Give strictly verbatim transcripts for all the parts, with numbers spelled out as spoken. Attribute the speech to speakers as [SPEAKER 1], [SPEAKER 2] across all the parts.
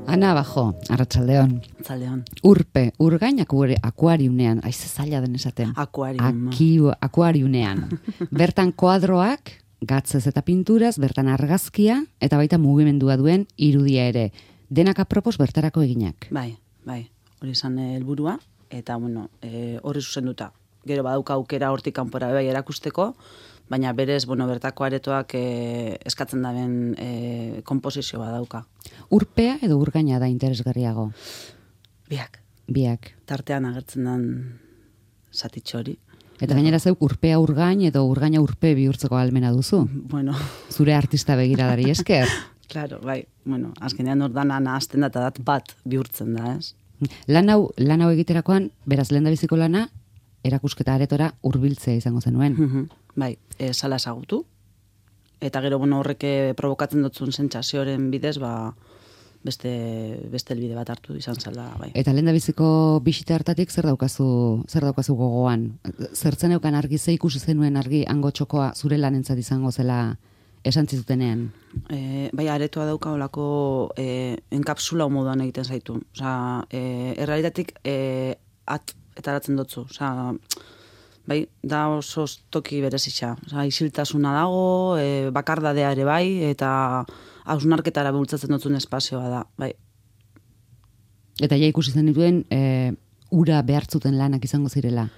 [SPEAKER 1] Ana Bajo, arratsaldeon.
[SPEAKER 2] Arratsaldeon.
[SPEAKER 1] Urpe, urgain akuariunean, aiz zaila den esaten.
[SPEAKER 2] Akuarium.
[SPEAKER 1] Aki, akuariunean. Bertan koadroak, gatzez eta pinturaz, bertan argazkia, eta baita mugimendua duen irudia ere. Denak apropos bertarako eginak.
[SPEAKER 2] Bai, bai. Hori izan helburua eta bueno, e, horri zuzenduta. Gero badauka aukera hortik kanpora bai erakusteko, baina berez, bueno, bertako aretoak e, eskatzen daben e, konposizioa dauka.
[SPEAKER 1] Urpea edo urgaina da interesgarriago?
[SPEAKER 2] Biak.
[SPEAKER 1] Biak.
[SPEAKER 2] Tartean agertzen den zatitxo hori.
[SPEAKER 1] Eta gainera zeuk urpea urgain edo urgaina urpe bihurtzeko ahalmena duzu?
[SPEAKER 2] Bueno.
[SPEAKER 1] Zure artista begiradari esker?
[SPEAKER 2] Claro, bai. Bueno, azkenean ordana nahazten da eta dat bat bihurtzen da, ez?
[SPEAKER 1] Lan hau, lan hau egiterakoan, beraz lehen da biziko lana, erakusketa aretora hurbiltzea izango zenuen.
[SPEAKER 2] Mm-hmm. Bai, e, sala ezagutu. Eta gero, bueno, horrek provokatzen dutzun sentsazioaren bidez, ba, beste, beste elbide bat hartu izan zela, bai.
[SPEAKER 1] Eta lehen da biziko bisita hartatik zer daukazu, zer daukazu gogoan? Zertzen eukan argi, ze ikusi zenuen argi, hango txokoa zure lanentzat izango zela esan zizutenean?
[SPEAKER 2] E, bai, aretoa dauka olako e, enkapsula moduan egiten zaitu. Osa, e, errealitatik e, at etaratzen dutzu. Osa, bai, da oso toki berezitza. Osa, isiltasuna dago, e, bakardadea ere bai, eta hausnarketara bultzatzen dutzun espazioa da, bai.
[SPEAKER 1] Eta ja ikusi zen dituen, e, ura behartzuten lanak izango zirela?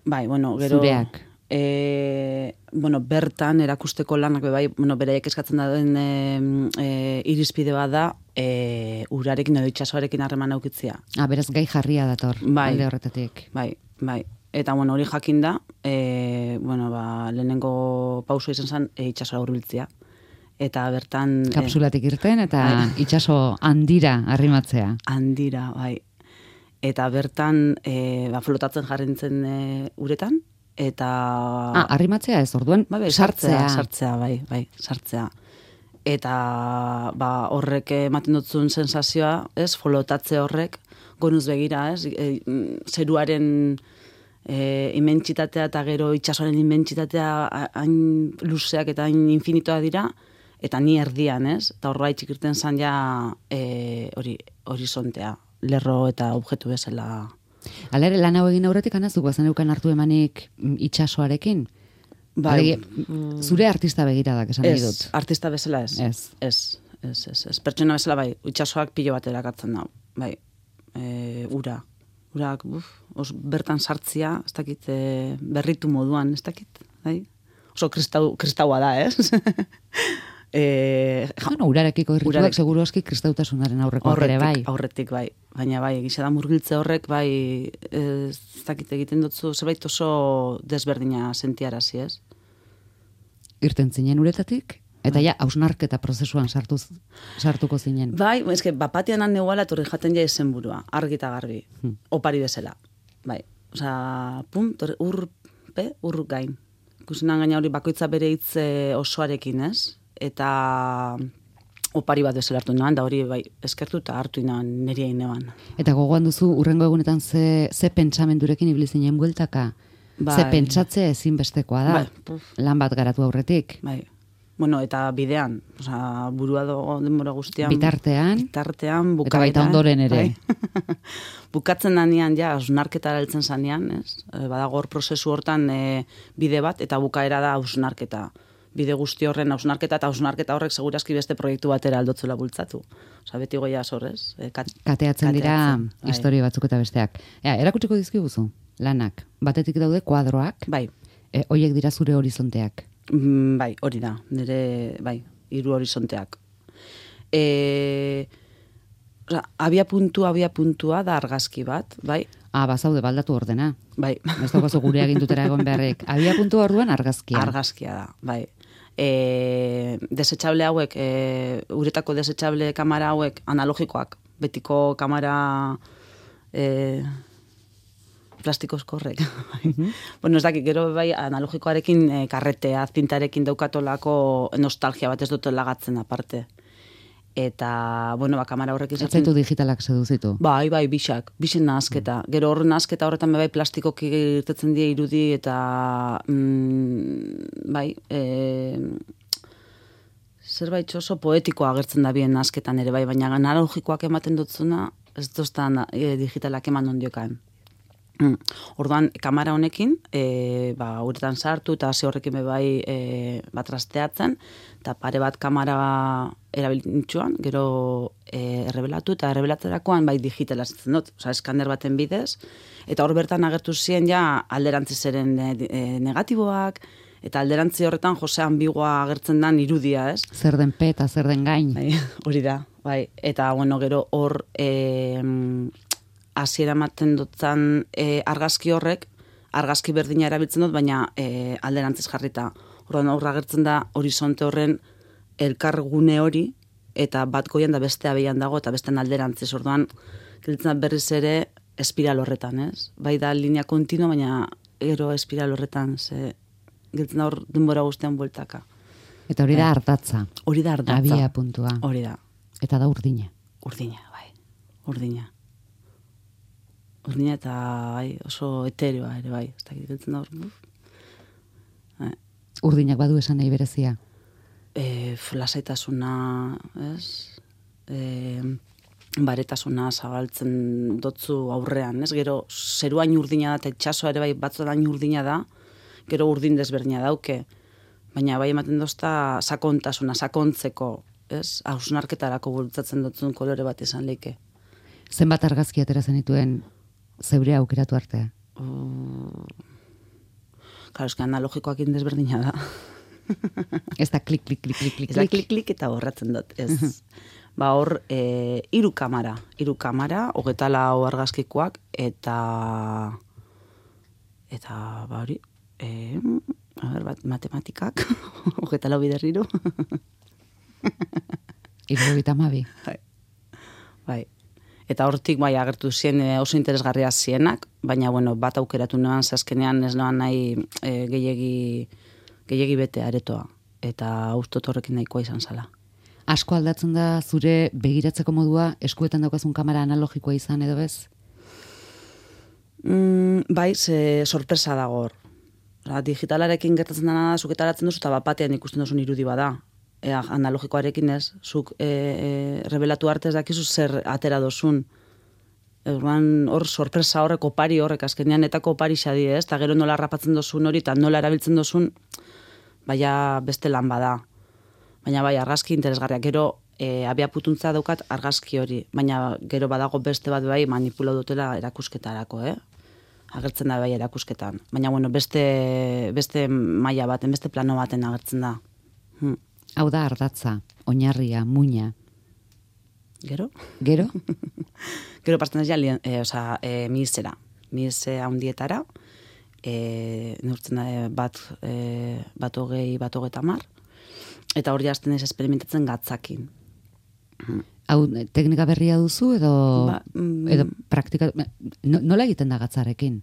[SPEAKER 2] Bai, bueno, gero...
[SPEAKER 1] Zureak?
[SPEAKER 2] E, bueno, bertan erakusteko lanak bai, bueno, beraiek eskatzen da den e, e, irizpide bat da e, urarekin edo itsasoarekin harreman aukitzea.
[SPEAKER 1] Ah, beraz gai jarria dator,
[SPEAKER 2] bai,
[SPEAKER 1] alde horretatik.
[SPEAKER 2] Bai, bai. Eta bueno, hori jakin da, e, bueno, ba, lehenengo pauso izan zen e, itsasora hurbiltzea. Eta bertan...
[SPEAKER 1] Kapsulatik irten eta bai. Itsaso handira arrimatzea.
[SPEAKER 2] Handira, bai. Eta bertan e, ba, flotatzen jarrintzen e, uretan, eta...
[SPEAKER 1] Ah, arrimatzea ez, orduan,
[SPEAKER 2] ba, bai, sartzea. Sartzea, bai, bai, sartzea. Eta ba, horrek ematen dutzun sensazioa, ez, flotatze horrek, gonuz begira, ez, e, zeruaren e, imentsitatea eta gero itsasoaren imentsitatea hain luzeak eta hain infinitoa dira, eta ni erdian, ez, eta horra itxikirten zan ja e, hori, horizontea, lerro eta objektu bezala.
[SPEAKER 1] Hala ere, lan hau egin aurretik anazuk bazen eukan hartu emanik itsasoarekin?
[SPEAKER 2] Bai.
[SPEAKER 1] Alegi, zure artista begiradak esan nahi dut.
[SPEAKER 2] Ez, artista bezala ez.
[SPEAKER 1] Ez.
[SPEAKER 2] Ez, ez, ez, ez. Pertsona bezala bai, itsasoak pilo bat erakartzen da. Bai, e, ura. Urak, uf, os, bertan sartzia, ez dakit, e, berritu moduan, ez dakit, bai? Oso kristau, kristaua da, ez? E,
[SPEAKER 1] ja, no, urarekiko irrituak urarek, seguru aski kristautasunaren aurreko ere bai.
[SPEAKER 2] Aurretik bai, baina bai, egisa da murgiltze horrek bai, ez dakit egiten dutzu, zerbait oso desberdina sentiarazi, ez?
[SPEAKER 1] Irten zinen uretatik? Eta ja, hausnarketa prozesuan sartuz, sartuko zinen.
[SPEAKER 2] Bai, eske, bapatian han neguala torri jaten ja izen burua, argi eta garbi, hmm. opari bezala. Bai, osea, pum, torri, urpe, ur gain. Ikusenan gaina hori bakoitza bere hitz osoarekin, ez? Eta opari bat bezala hartu noan, da hori bai, eskertu eta hartu inoan niri eginean.
[SPEAKER 1] Eta gogoan duzu, urrengo egunetan ze, ze pentsamendurekin ibili zinen bueltaka? Bai. Ze pentsatze ezinbestekoa da, bai. Lan bat garatu aurretik.
[SPEAKER 2] Bai. Bueno, eta bidean, osea, burua dago denbora guztian.
[SPEAKER 1] Bitartean.
[SPEAKER 2] Bitartean, bukaeran.
[SPEAKER 1] Eta baita ondoren ere.
[SPEAKER 2] Bai. Bukatzen danean, ja, hausnarketa heltzen zanean, ez? Badago hor prozesu hortan e, bide bat, eta bukaera da hausnarketa. Bide guzti horren hausnarketa, eta hausnarketa horrek segurazki beste proiektu batera aldotzula bultzatu. Osa, beti goia zorrez. E, kat,
[SPEAKER 1] kateatzen, kateatzen dira bai. Historia batzuk eta besteak. Ea, erakutsiko dizkiguzu, lanak. Batetik daude kuadroak.
[SPEAKER 2] Bai.
[SPEAKER 1] E, hoiek dira zure horizonteak.
[SPEAKER 2] Mm, bai, hori da. Nire, bai, hiru horizonteak. E, oza, abia puntua, abia puntua da argazki bat, bai.
[SPEAKER 1] Ah, bazaude, baldatu ordena.
[SPEAKER 2] Bai.
[SPEAKER 1] Ez daukazu gure agindutera egon beharrek. Abia puntua orduan argazkia.
[SPEAKER 2] Argazkia da, bai. E, desechable hauek, e, uretako desechable kamera hauek analogikoak, betiko kamera e, plastikozko horrek. Mm-hmm. Bueno, ez dakit, gero bai analogikoarekin e, karretea, zintarekin daukatolako nostalgia bat ez dut lagatzen aparte. Eta, bueno, ba, kamera horrek izatzen...
[SPEAKER 1] Etzaitu digitalak seduzitu?
[SPEAKER 2] Bai, bai, bisak, bisen nahazketa. Mm. Gero horren nahazketa horretan bai plastikoki irtetzen die irudi eta, mm, bai, e, zerbait oso poetikoa agertzen da bien asketan ere bai, baina analogikoak ematen dutzuna, ez doztan e, digitalak eman ondiokan. Mm. Orduan, kamera honekin, e, ba, uretan sartu eta hasi horrekin be bai e, bat trasteatzen, eta pare bat kamera erabilitzuan, gero e, errebelatu, eta errebelatzerakoan bai digitala zitzen dut, oza, eskaner baten bidez, eta hor bertan agertu ziren ja alderantzizeren e, negatiboak, eta alderantzi horretan Jose ambigoa agertzen dan irudia, ez?
[SPEAKER 1] Zer den pe eta zer den gain.
[SPEAKER 2] Bai, hori da, bai. Eta, bueno, gero hor e, hasiera ematen dutzen e, argazki horrek, argazki berdina erabiltzen dut, baina e, alderantziz jarrita. Orduan hor agertzen da horizonte horren elkargune hori, eta bat goian da bestea behian dago, eta bestean alderantziz. Orduan, giltzen da berriz ere espiral horretan, ez? Bai da linea kontinua, baina gero espiral horretan, ze giltzen da hor denbora guztian bueltaka.
[SPEAKER 1] Eta hori da ardatza.
[SPEAKER 2] Hori da ardatza.
[SPEAKER 1] Abia puntua.
[SPEAKER 2] Hori da.
[SPEAKER 1] Eta da urdina.
[SPEAKER 2] Urdina, bai. Urdina. Urdina eta bai, oso etereoa ere bai. Ez dakit giltzen da hor. Bai.
[SPEAKER 1] Urdinak badu esan nahi berezia.
[SPEAKER 2] E, lasaitasuna, ez? E, baretasuna zabaltzen dotzu aurrean, ez? Gero zeruain urdina da, eta itxasoa ere bai batzuetan urdina da, gero urdin desberdina dauke. Baina bai ematen dozta sakontasuna, sakontzeko, ez? Hausnarketarako bultzatzen dutzun kolore bat izan leike.
[SPEAKER 1] Zenbat argazki atera zenituen zeure aukeratu artea?
[SPEAKER 2] Uh, Karo, eski analogikoak indesberdina da.
[SPEAKER 1] Ez da klik, klik, klik, klik, klik,
[SPEAKER 2] Ez da klik, klik eta borratzen dut, ez. Ba hor, e, iru kamara, iru kamara, hogeta lau argazkikoak, eta, eta, ba hori, e, a ber, bat, matematikak, hogeta lau bider iru.
[SPEAKER 1] Irurogeita hamabi.
[SPEAKER 2] Bai. Bai. Eta hortik bai agertu zien e, oso interesgarria zienak, baina bueno, bat aukeratu noan, zazkenean ez noan nahi e, gehiegi, gehiegi bete aretoa. Eta ustot horrekin nahikoa izan zala.
[SPEAKER 1] Asko aldatzen da zure begiratzeko modua eskuetan daukazun kamera analogikoa izan edo bez?
[SPEAKER 2] Mm, bai, ze sorpresa dago hor. Ola, digitalarekin gertatzen dena da, zuk etaratzen duzu, eta bapatean ikusten duzun irudi bada. E, analogikoarekin ez, zuk e, e, revelatu arte ez dakizu zer atera dozun. Orduan hor sorpresa horrek, opari horrek, azkenean etako opari xadi ez, eta gero nola rapatzen dozun hori, eta nola erabiltzen dozun, baina beste lan bada. Baina bai, argazki interesgarriak. Gero, e, abia putuntza daukat argazki hori, baina gero badago beste bat bai manipulau dutela erakusketarako, eh? Agertzen da bai erakusketan. Baina, bueno, beste, beste maila baten, beste plano baten agertzen da. Hm.
[SPEAKER 1] Hau da ardatza, oinarria, muina.
[SPEAKER 2] Gero?
[SPEAKER 1] Gero?
[SPEAKER 2] Gero pasten ez ja, e, oza, e, mihizera. Mihizera handietara, e, neurtzen da bat, e, bat hogei, bat hogeta mar, eta hori hasten ez experimentatzen gatzakin.
[SPEAKER 1] Hau, teknika berria duzu edo,
[SPEAKER 2] ba, mm,
[SPEAKER 1] edo praktika, no, nola egiten da gatzarekin?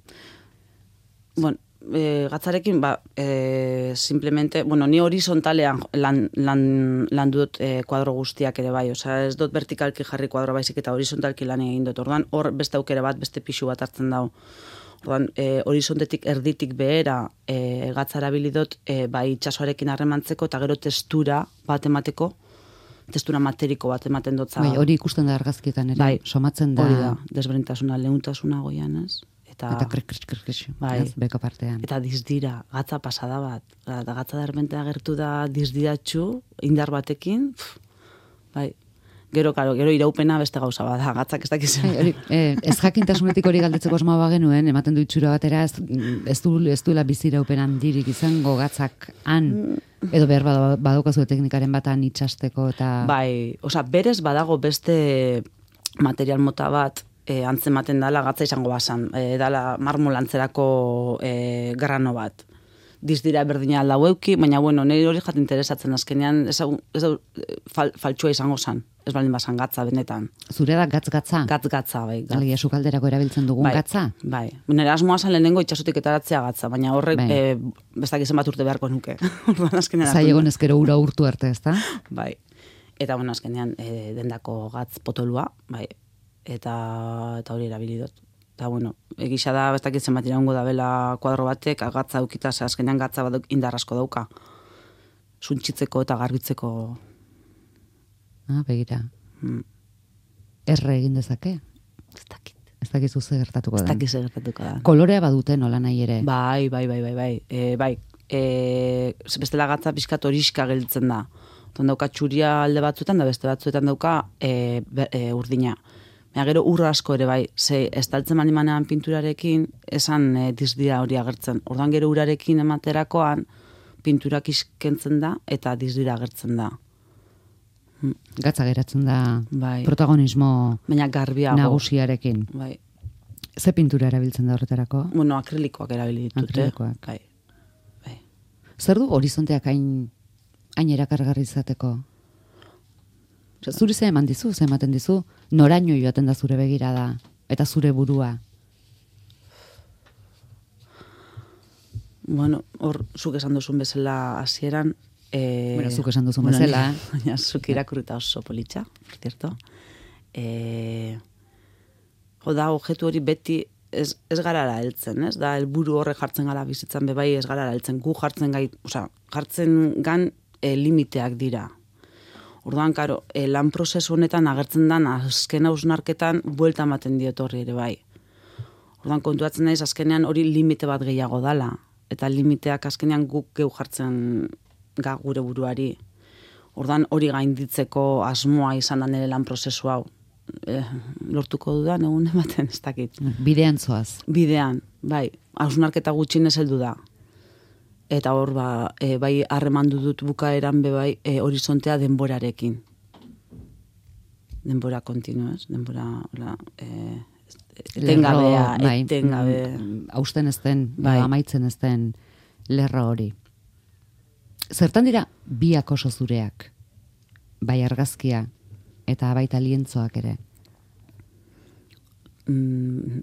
[SPEAKER 2] Bueno, e, gatzarekin, ba, e, simplemente, bueno, ni horizontalean lan, lan, lan dut e, kuadro guztiak ere bai, oza, ez dut vertikalki jarri kuadro baizik eta horizontalki lan egin dut, orduan hor beste aukere bat, beste pixu bat hartzen dau. Orduan, e, horizontetik erditik behera e, gatzara bilidot, e, bai itxasoarekin harremantzeko, eta gero testura bat emateko, testura materiko bat ematen dutza.
[SPEAKER 1] Bai, hori ikusten da argazkietan ere,
[SPEAKER 2] bai,
[SPEAKER 1] somatzen da.
[SPEAKER 2] Hori da, desberdintasuna, leuntasuna goian, ez? Eta,
[SPEAKER 1] eta krik, krik, krik, krik,
[SPEAKER 2] bai,
[SPEAKER 1] ez, beko partean.
[SPEAKER 2] Eta dizdira, gatza pasada bat. Eta gatza derbente agertu da dizdiratxu, indar batekin, pff, bai. Gero, karo, gero iraupena beste gauza bat, gatzak ez dakizen.
[SPEAKER 1] Hey, eh, ez jakintasunetik hori galdetzeko asmoa bagenuen, ematen du itxura batera, ez, ez, du, ez duela bizi iraupen handirik izango gatzak han, edo behar badaukazu teknikaren batan itxasteko eta...
[SPEAKER 2] Bai, oza, berez badago beste material mota bat, e, antzematen dala gatza izango basan, e, dala marmolantzerako e, grano bat. Dizdira berdina aldau euki, baina bueno, nire hori jat interesatzen azkenean, ez da fal, faltsua izango zan, ez baldin basan gatza benetan.
[SPEAKER 1] Zure da gatz-gatza?
[SPEAKER 2] Gatz-gatza, bai. Gatz.
[SPEAKER 1] Alegia sukalderako erabiltzen dugun
[SPEAKER 2] bai,
[SPEAKER 1] gatza?
[SPEAKER 2] Bai, nire asmoa zan lehenengo itxasotik etaratzea gatza, baina horrek
[SPEAKER 1] bai.
[SPEAKER 2] e, bestak izan bat urte beharko nuke.
[SPEAKER 1] Zaiegon ezkero ura urtu arte, ez da?
[SPEAKER 2] Bai, eta bueno, azkenean e, dendako gatz potolua, bai, eta, eta hori erabilidot. Eta, bueno, egisa da, ez dakit zenbat iraungo da bela kuadro batek, gatza eukita, azkenean gatza bat indar asko dauka. Suntxitzeko eta garbitzeko
[SPEAKER 1] Ah, begira.
[SPEAKER 2] Mm.
[SPEAKER 1] Erre egin dezake?
[SPEAKER 2] Ez dakit.
[SPEAKER 1] Ez dakizu ze gertatuko da.
[SPEAKER 2] Ez dakit ze gertatuko da.
[SPEAKER 1] Kolorea badute nola nahi ere.
[SPEAKER 2] Bai, bai, bai, bai, bai. E, bai, e, bestela gatza pixkat horiska gelditzen da. Otan dauka txuria alde batzuetan, da beste batzuetan dauka e, be, e, urdina. Baina gero urra asko ere bai, ze estaltzen mani manean pinturarekin, esan e, dizdira hori agertzen. Ordan gero urarekin ematerakoan, pinturak iskentzen da, eta dizdira agertzen da.
[SPEAKER 1] Gatza geratzen da
[SPEAKER 2] Bai.
[SPEAKER 1] protagonismo
[SPEAKER 2] Baina garbiago.
[SPEAKER 1] nagusiarekin.
[SPEAKER 2] Bai.
[SPEAKER 1] Ze pintura erabiltzen da horretarako?
[SPEAKER 2] Bueno, akrilikoak erabili ditut,
[SPEAKER 1] Akrilikoak.
[SPEAKER 2] eh? Bai. Bai.
[SPEAKER 1] Zer du horizonteak hain, hain erakargarri izateko? Osea, zuri ze eman dizu, ze ematen dizu, noraino joaten da zure begirada, eta zure burua.
[SPEAKER 2] Bueno, hor, zuk esan duzun bezala hasieran, Eh,
[SPEAKER 1] Bueno, zuk esan duzun
[SPEAKER 2] bueno,
[SPEAKER 1] bezala.
[SPEAKER 2] ni- Baina zuk irakurrita oso politxa, por cierto. Eh, jo da, objektu hori beti ez, ez garara heltzen, ez? Da, helburu horre jartzen gara bizitzan bebai ez garara heltzen. Gu jartzen gai, osea, jartzen gan e, limiteak dira. Orduan, karo, e, lan prozesu honetan agertzen dan azken hausnarketan buelta ematen diot horri ere bai. Orduan, kontuatzen naiz azkenean hori limite bat gehiago dala. Eta limiteak azkenean guk geu jartzen ga gure buruari. Ordan hori gainditzeko asmoa izan da nire lan prozesu hau. Eh, lortuko dudan egun ematen ez dakit.
[SPEAKER 1] Bidean zoaz.
[SPEAKER 2] Bidean, bai, hausnarketa gutxinez heldu da. Eta hor ba, e, bai harremandu dut bukaeran be bai e, horizontea denborarekin. Denbora kontinuaz, denbora hola, e, etengabea,
[SPEAKER 1] Lerro, bai,
[SPEAKER 2] etengabe.
[SPEAKER 1] mm, hausten ez den,
[SPEAKER 2] Bai.
[SPEAKER 1] amaitzen ez den lerro hori. Zertan dira biak oso zureak? Bai argazkia eta baita lientzoak ere.
[SPEAKER 2] Mm,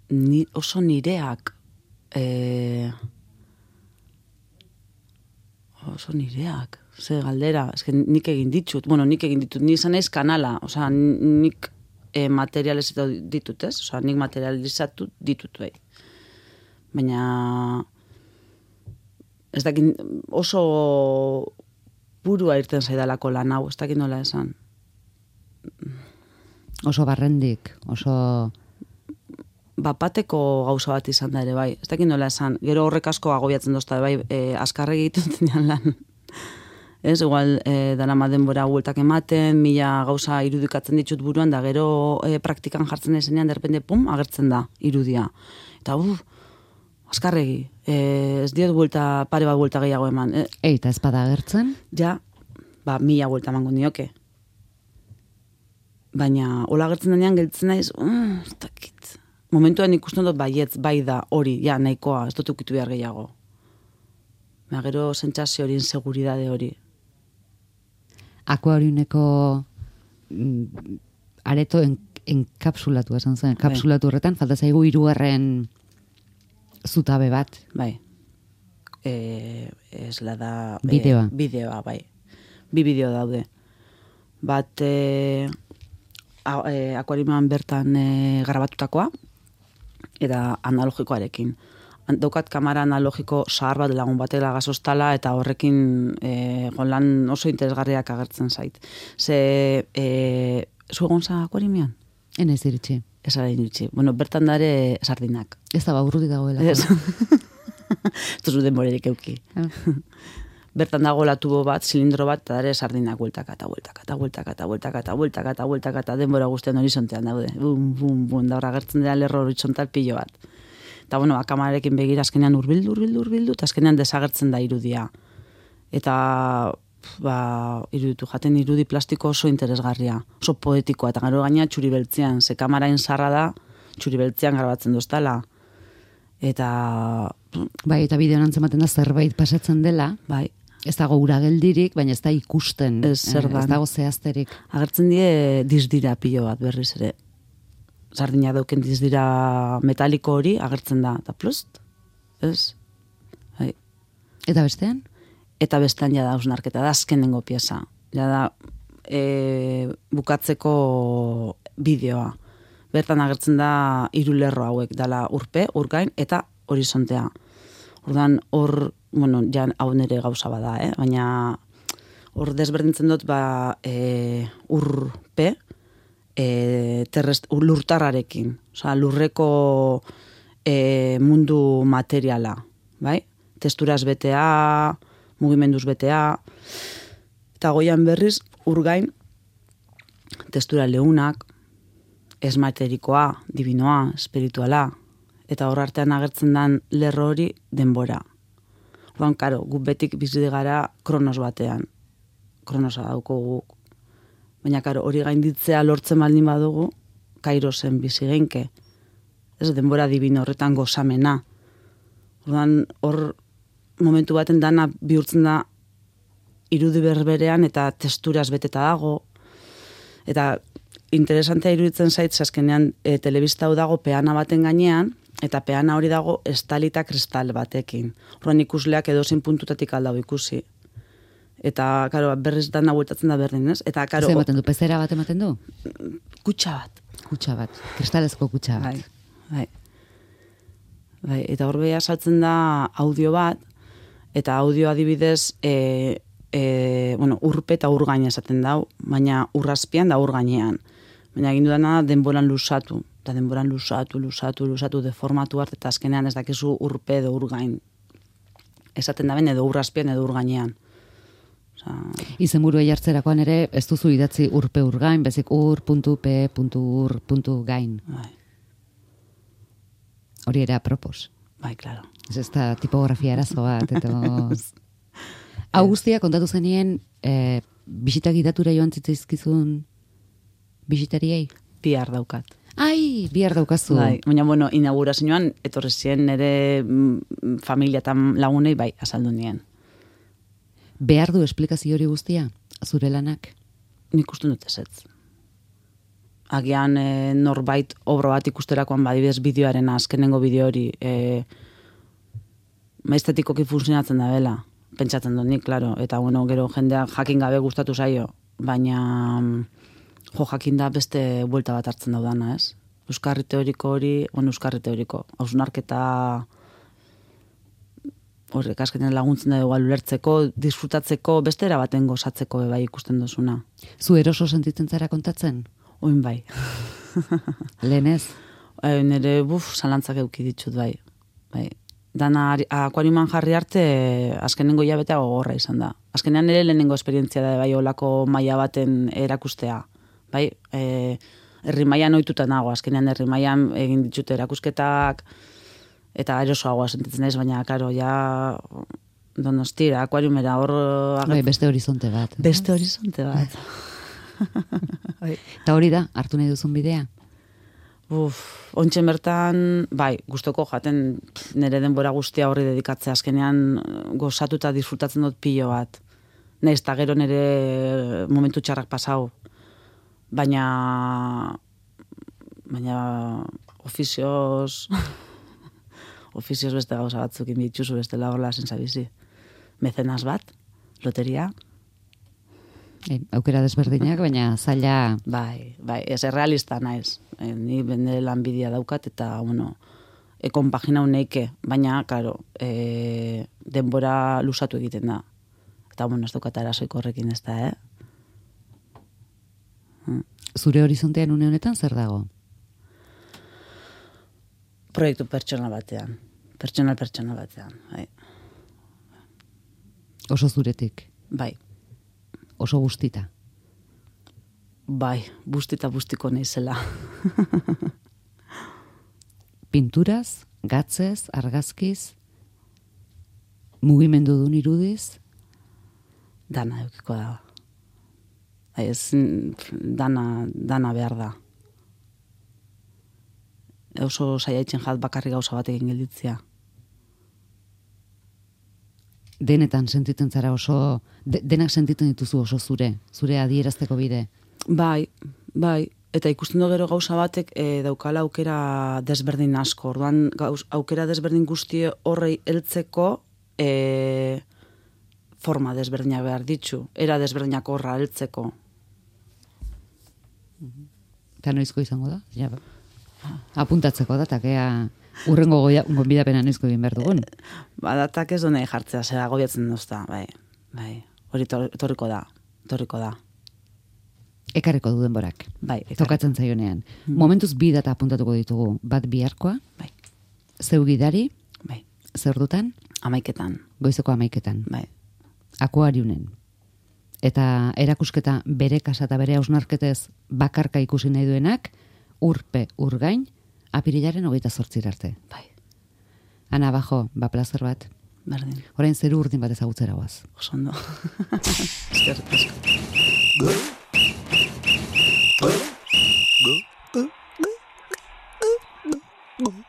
[SPEAKER 2] ni, oso nireak e, oso nireak ze galdera, eske nik egin ditut bueno, nik egin ditut, ni izan naiz kanala osea, nik e, materializatu ditut, ez? Osea, nik materializatu ditut bai. Baina ez dakit oso burua irten zaidalako lan hau, ez dakit nola esan.
[SPEAKER 1] Oso barrendik, oso...
[SPEAKER 2] Bapateko gauza bat izan da ere bai. Ez dakit nola esan. Gero horrek asko agobiatzen dozta bai, e, azkarregi egiten lan. Ez, igual, e, darama denbora bueltak ematen, mila gauza irudikatzen ditut buruan, da gero e, praktikan jartzen ezenean, derpende, pum, agertzen da irudia. Eta, uf, azkarregi. E, ez diot buelta, pare bat buelta gehiago eman. E,
[SPEAKER 1] Eita ez bada agertzen?
[SPEAKER 2] ja, ba, mila buelta emango nioke. Baina, hola agertzen denean gelditzen naiz, uh, ez dakit. Momentuan ikusten dut baietz, bai da, hori, ja, nahikoa, ez dut ukitu behar gehiago. Baina gero sentsazio hori, inseguridade hori.
[SPEAKER 1] Akuariuneko mm, areto en, enkapsulatu, esan zen, enkapsulatu horretan, falta zaigu hirugarren zutabe bat.
[SPEAKER 2] Bai. E, ez la da...
[SPEAKER 1] Bideoa.
[SPEAKER 2] E, bideoa, bai. Bi bideo daude. Bat, e, a, e, akuariuman bertan e, grabatutakoa, eta analogikoarekin. Daukat kamera analogiko zahar bat lagun batela gazostala, eta horrekin e, lan oso interesgarriak agertzen zait. Ze, e, zu egon za akuariumean?
[SPEAKER 1] Enez iritsi.
[SPEAKER 2] Ez ara iritsi. Bueno, bertan dare sardinak.
[SPEAKER 1] Ez da, ba, urruti dagoela.
[SPEAKER 2] Ez. Ez duzu denborerik euki. Bertan dagoela tubo bat, zilindro bat, eta dare sardinak bueltaka, eta bueltaka, eta bueltaka, eta bueltaka, eta bueltaka, eta bueltaka, eta denbora guztien horizontean daude. Bum, bum, bum, da horra gertzen dira lerro horizontal pilo bat. Eta, bueno, kamerarekin begira azkenean urbildu, urbildu, urbildu, eta azkenean desagertzen da irudia. Eta, ba, iruditu jaten irudi plastiko oso interesgarria, oso poetikoa, eta gero gaina txuri beltzean, ze kamarain zarra da, txuri beltzean grabatzen doztala. Eta...
[SPEAKER 1] Bai, eta bideoan antzematen da zerbait pasatzen dela,
[SPEAKER 2] bai,
[SPEAKER 1] ez dago ura geldirik, baina ez da ikusten,
[SPEAKER 2] Ez zer
[SPEAKER 1] eh,
[SPEAKER 2] dan.
[SPEAKER 1] ez dago zehazterik.
[SPEAKER 2] agertzen die dizdira pilo bat berriz ere. Sardina dauken dizdira metaliko hori agertzen da, eta plust, ez? Bai.
[SPEAKER 1] Eta bestean?
[SPEAKER 2] Eta bestean ja da hausnarketa, da azkenengo pieza. Ja da e, bukatzeko bideoa. Bertan agertzen da hiru lerro hauek, dala urpe, urgain eta horizontea. Ordan hor, bueno, ja hau nere gauza bada, eh? Baina hor desberdintzen dut, ba, e, urpe, e, terrest, lurtarrarekin. Osa, lurreko e, mundu materiala, bai? Testuraz betea, mugimenduz betea, eta goian berriz, urgain, testura leunak, esmaterikoa, divinoa, espirituala, eta hor artean agertzen den lerro hori denbora. Orduan, karo, gu betik bizide gara kronos batean. Kronosa dauko guk. Baina, karo, hori gainditzea lortzen baldin badugu, Kairosen bizi genke. Ez denbora divino horretan gozamena. Orduan, hor momentu baten dana bihurtzen da irudi berberean eta testuraz beteta dago. Eta interesantea iruditzen zait, azkenean e, telebista hau dago peana baten gainean, eta peana hori dago estalita kristal batekin. Horren ikusleak edozein puntutatik aldau ikusi. Eta, karo, berriz dana bueltatzen da berdin, ez? Eta, karo...
[SPEAKER 1] Zer ematen du, pezera bat ematen du?
[SPEAKER 2] Kutsa bat.
[SPEAKER 1] Kutsa bat, kristalezko kutsa bat.
[SPEAKER 2] Bai, bai. Bai, eta hor beha saltzen da audio bat, eta audio adibidez, e, e, bueno, urpe eta urgaina esaten dau, baina urrazpian da urgainean. Baina egin dudana denboran lusatu. Eta denboran lusatu, lusatu, lusatu, deformatu art, eta azkenean ez dakizu urpe edo urgain. Esaten da ben edo urrazpian edo urgainean. Osa...
[SPEAKER 1] Izenburua jartzerakoan ere, ez duzu idatzi urpe urgain, bezik ur, puntu, pe, puntu, ur, puntu, gain.
[SPEAKER 2] Bai.
[SPEAKER 1] Hori ere apropos.
[SPEAKER 2] Bai, klaro.
[SPEAKER 1] Ez ez da tipografia arazo bat, eta... Hau guztia kontatu zenien, e, bisita gidatura joan zitzaizkizun bisitariei?
[SPEAKER 2] Bihar daukat.
[SPEAKER 1] Ai, bihar daukazu.
[SPEAKER 2] Bai, baina, bueno, inaugurazioan, etorri ziren nire mm, familia eta lagunei, bai, azaldu nien.
[SPEAKER 1] Behar du esplikazio hori guztia, zure lanak?
[SPEAKER 2] Nik uste dut ezetz. Agian e, norbait obro bat ikusterakoan badibidez bideoaren azkenengo bideo hori e, maiztetikoki funtzionatzen da bela. Pentsatzen dut nik, klaro. Eta, bueno, gero jendeak jakin gabe gustatu zaio. Baina, jo, jakin da beste buelta bat hartzen daudana, ez? Euskarri teoriko hori, bueno, euskarri teoriko. Hausnarketa horrek azkenean laguntzen da igual ulertzeko, disfrutatzeko, beste erabaten gozatzeko bai ikusten duzuna.
[SPEAKER 1] Zu eroso sentitzen zara kontatzen?
[SPEAKER 2] Oin bai.
[SPEAKER 1] Lehenez?
[SPEAKER 2] E, nire, buf, zalantzak euki ditut bai. Bai. Dana akuariuman jarri arte azkenengo hilabetea gogorra izan da. Azkenean nire lehenengo esperientzia da bai olako maila baten erakustea. Bai, e, herri mailan ohituta nago, azkenean herri mailan egin ditut erakusketak eta erosoagoa sentitzen naiz, baina karo ja Donostira, akuariumera hor
[SPEAKER 1] bai, beste horizonte bat.
[SPEAKER 2] Beste horizonte bat.
[SPEAKER 1] Eta hori da, hartu nahi duzun bidea?
[SPEAKER 2] Uf, ontsen bertan, bai, gustoko jaten nire denbora guztia horri dedikatzea, azkenean gozatu eta disfrutatzen dut pilo bat. Naiz eta gero nire momentu txarrak pasau. Baina, baina ofizioz, ofizioz beste gauza batzuk inbitxuzu beste lagorla zenzabizi. Mecenas bat, loteria.
[SPEAKER 1] E, aukera desberdinak, baina zaila...
[SPEAKER 2] Bai, bai, ez errealista naiz. E, ni bende lanbidia daukat eta, bueno, e, konpagina uneike, baina, karo, e, denbora lusatu egiten da. Eta, bueno, ez daukat arazoiko horrekin ez da, eh? Hmm.
[SPEAKER 1] Zure horizontean une honetan zer dago?
[SPEAKER 2] Proiektu pertsonal batean. Pertsonal pertsonal batean, bai.
[SPEAKER 1] Oso zuretik?
[SPEAKER 2] Bai.
[SPEAKER 1] Oso guztita?
[SPEAKER 2] Bai, bustita bustiko naizela.
[SPEAKER 1] Pinturaz, gatzez, argazkiz, mugimendu dun irudiz?
[SPEAKER 2] Dana eukiko da. Ez, dana, dana behar da. Oso saiaitzen jat bakarri gauza bat egin gelditzea.
[SPEAKER 1] Denetan sentitzen zara oso, de, denak sentitzen dituzu oso zure, zure adierazteko bide.
[SPEAKER 2] Bai, bai, eta ikusten du gero gauza batek e, daukala aukera desberdin asko. Orduan gauz, aukera desberdin guzti horrei heltzeko e, forma desberdinak behar ditzu, era desberdinak horra heltzeko.
[SPEAKER 1] Eta noizko izango da? Ja, apuntatzeko da, takea... Urrengo gonbidapena noizko egin behar dugun.
[SPEAKER 2] Ba, datak ez du nahi jartzea, zera gobiatzen duzta, bai, bai. hori tor- etorriko da, etorriko da.
[SPEAKER 1] Ekarriko du denborak.
[SPEAKER 2] Bai, ekarriko.
[SPEAKER 1] Tokatzen zaionean. Momentuz bi data apuntatuko ditugu. Bat biharkoa,
[SPEAKER 2] Bai,
[SPEAKER 1] zeu gidari,
[SPEAKER 2] bai,
[SPEAKER 1] zer dutan,
[SPEAKER 2] amaiketan,
[SPEAKER 1] goizeko amaiketan.
[SPEAKER 2] bai.
[SPEAKER 1] Akuariunen. Eta erakusketa bere kasa eta bere hausnarketez bakarka ikusi nahi duenak, urpe urgain, apirilaren hogeita zortzir arte.
[SPEAKER 2] Bai,
[SPEAKER 1] Ana, bajo, ba plazer bat.
[SPEAKER 2] berdin,
[SPEAKER 1] Orain zeru urdin bat ezagutzera guaz.
[SPEAKER 2] oso ondo.